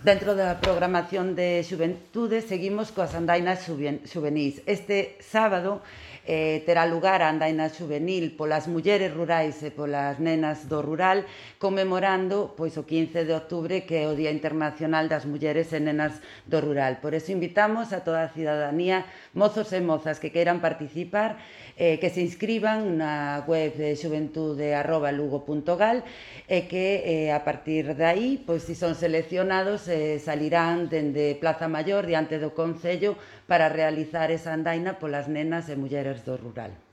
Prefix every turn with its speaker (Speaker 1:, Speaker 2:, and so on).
Speaker 1: Dentro da programación de xuventude seguimos coas andainas xuvenís. Este sábado terá lugar a andaina xuvenil polas mulleres rurais e polas nenas do rural, conmemorando pois, o 15 de outubro, que é o Día Internacional das Mulleres e Nenas do Rural. Por eso invitamos a toda a cidadanía, mozos e mozas que queiran participar, que se inscriban na web de xuventude@lugo.gal e que a partir de aí, pois, si son seleccionados, salirán dende Plaza Maior diante do Concello para realizar esa andaina polas nenas e mulleres do rural.